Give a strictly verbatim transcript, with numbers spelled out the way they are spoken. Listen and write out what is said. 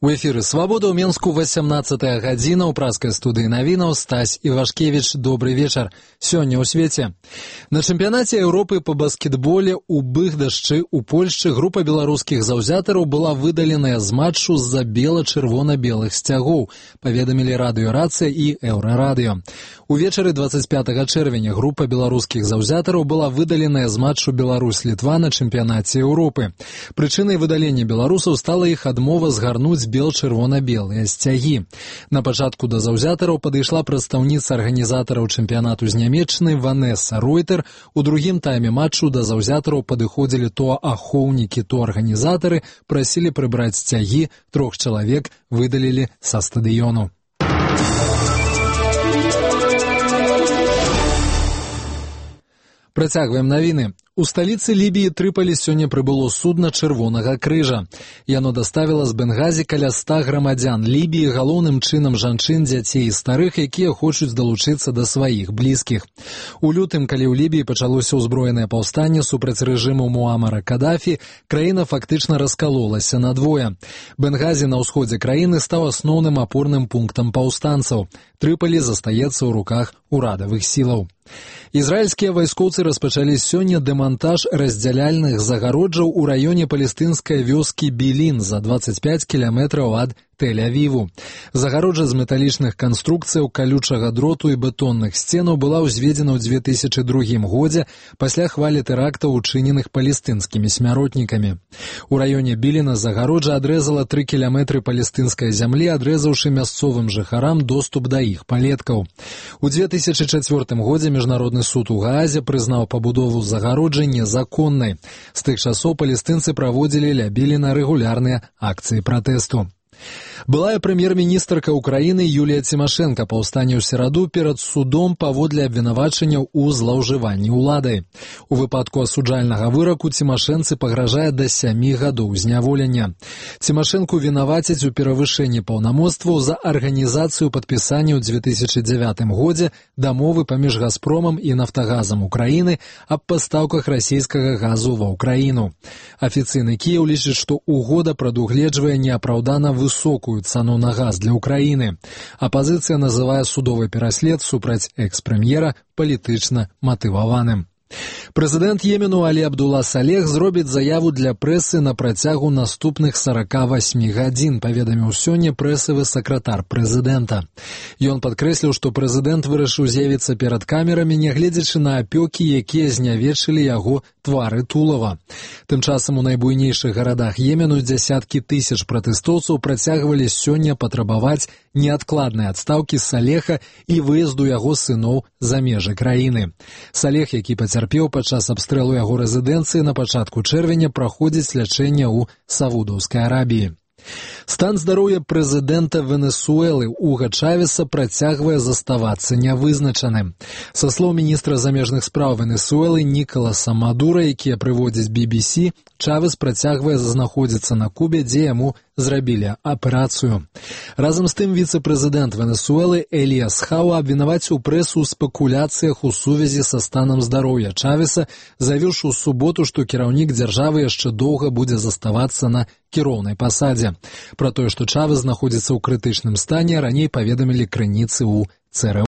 У эфіры «Свабода» ў Менску васямнаццатая гадзіна, ў праскай студыі навінаў Стась Івашкевіч. Добрый вечар. Сёння ў свеце. На чэмпіянаце Еўропы па баскетболе ў Быгдашчы ў Польшчы група беларускіх заўзятараў была выдаленая з матчу з-за бела-чырвона-белых сцягоў, паведамілі радыёрацыя і Еўрарадыё. Увечары дваццаць пятага чэрвеня група беларускіх заўзятараў была выдаленая з матчу Беларусь-Літва на чэмпіянаце Еўропы. Прычынай выдалення беларусаў стала іх адмова згарнуць бел-чырвона-белыя сцягі. На пачатку да заўзятараў падышла прадстаўніца арганізатараў чэмпіянату з Нямеччыны Ванесса Ройтер. У другім тайме матчу да заўзятараў падыходзілі то ахоўнікі, то арганізатары, прасілі прыбраць сцягі, трох чалавек выдалілі са стадыёну. Працягваем навіны. У сталіцы Лібіі Трыполі сёння прыбыло судна Чырвонага крыжа. Яно даставіла з Бенгазі каля ста грамадзян Лібіі, галоўным чынам жанчын, дзяцей і старых, якія хочуць далучыцца да сваіх блізкіх. У лютым, калі ў Лібіі пачалося ўзброенае паўстанне супраць рэжыму Муамара Кадафі, краіна фактычна раскалолася надвое. Бенгазі на ўсходзе краіны стаў асноўным апорным пунктам паўстанцаў. Трыполі застаецца ў руках урадавых сілаў. Ізраільскія вайскоўцы распачалі сёння дэмантаж раздзяляльных загароджаў у раёне палестынскай вёскі Білін за дваццаць пяць кіламетраў ад Тель-Авіву. Загароджа з металічных канструкцыяў, калючага дроту і бетонных сценаў была ўзведзена ў дзве тысячы другім годзе пасля хвалі тэрактаў, учыненых палестынскімі смяротнікамі. У раёне Біліна загароджа адрэзала тры кіламетры палестынскай зямлі, адрэзаўшы мясцовым жыхарам доступ да іх палеткаў. У дзве тысячы чацвёртым годзе Міжнародны суд у Гаазе прызнаў пабудову загароджы незаконнай. З тых часоў палестынцы праводзілі ля Біліна рэгулярныя акцыі пратэсту. Былая прэм'ер-міністрка Украіны Юлія Цімашэнка паўстане ў сераду перад судом паводле абвінавачанняў у злоўжыванні ўладай. У выпадку асуджальнага выраку Цімашэнцы пагражае да сямі гадоў зняволення. Цімашэнку вінавацяць у перавышэнні паўнамоцтваў за арганізацыю падпісання ў дзве тысячы дзявятым годзе дамовы паміж Газпромам і Нафтагазам Украіны аб пастаўках расійскага газу ва Ўкраіну. Афіцыйны Кіеў лічыць, што угода прадугледжвае неапраўдана высокую цану на газ для Украіны. Апазіцыя называе судовы пераслед супраць экс-прэм'ера палітычна матываваным. Прэзідэнт Йемену Алі Абдула Салех зробіць заяву для прэсы на працягу наступных сарака васьмі гадзін, паведаміў сёння прэсавы сакратар прэзідэнта. Ён падкрэсліў, што прэзідэнт вырашыў з'явіцца перад камерамі, нягледзячы на апёкі, якія знявечылі яго твары тулава. Тым часам у найбуйнейшых гарадах Йемену дзясяткі тысяч пратэстоўцаў працягвалі сёння патрабаваць неадкладнай адстаўкі Салеха і выезду яго сыноў за межы краіны. Салех, які пацярпеў падчас абстрэлу яго рэзідэнцыі на пачатку чэрвеня, праходзіць лячэнне ў Саудаўскай Арабіі. Стан здароўя прэзідэнта Венесуэлы Уга Чавеса працягвае заставацца нявызначаным. Са слоў міністра замежных спраў Венесуэлы Нікаласа Мадура, якія прыводзіць би би сі, Чавес працягвае знаходзіцца на Кубе, дзе яму зрабілі аперацыю. Разам з тым віцэ-прэзідэнт Венесуэлы Эліяс Хауа абвінаваціў прэсу ў спекуляцыях у сувязі са станам здароўя Чавеса, заявіўшы ў суботу, што кіраўнік дзяржавы яшчэ доўга будзе заставацца на кіроўнай пасадзе. Пра тое, што Чавес знаходзіцца ў крытычным стане, раней паведамілі крыніцы ў цэ эр